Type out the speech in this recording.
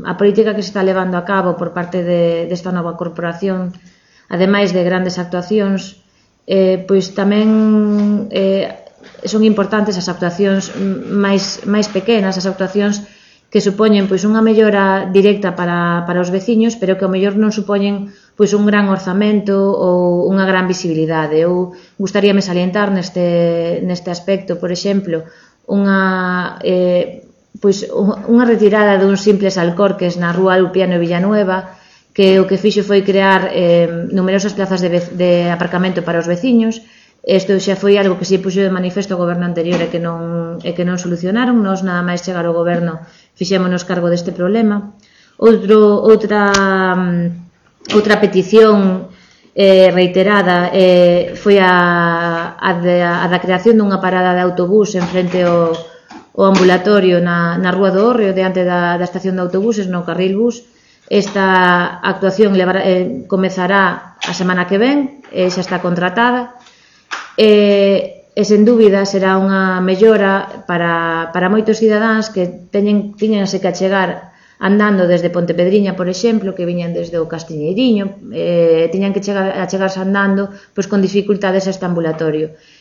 A política que se está levando a cabo por parte desta nova corporación, ademais de grandes actuacións, pois tamén son importantes as actuacións máis pequenas, as actuacións que supoñen pois unha mellora directa para os veciños, pero que ao mellor non supoñen pois un gran orzamento ou unha gran visibilidade. Eu gustaríame salientar neste aspecto, por exemplo, unha retirada duns simples alcorques na rúa Lupiano e Villanueva, que o que fixo foi crear numerosas plazas de aparcamento para os veciños. Isto xa foi algo que se puxo de manifesto ao goberno anterior e que non solucionaron. Nós, nada máis chegar ao goberno, fixémonos cargo deste problema. Outra petición reiterada foi a da creación dunha parada de autobús en frente ao ambulatorio na Rúa do Hórreo, diante da estación de autobuses, no carril bus. Esta actuación comezará a semana que ven, xa está contratada, e sen dúbida será unha mellora para moitos cidadáns que tiñanse que achegar andando desde Pontepedriña, por exemplo, que viñan desde o Castiñeiriño, tiñan que achegarse andando pois con dificultades a este ambulatorio.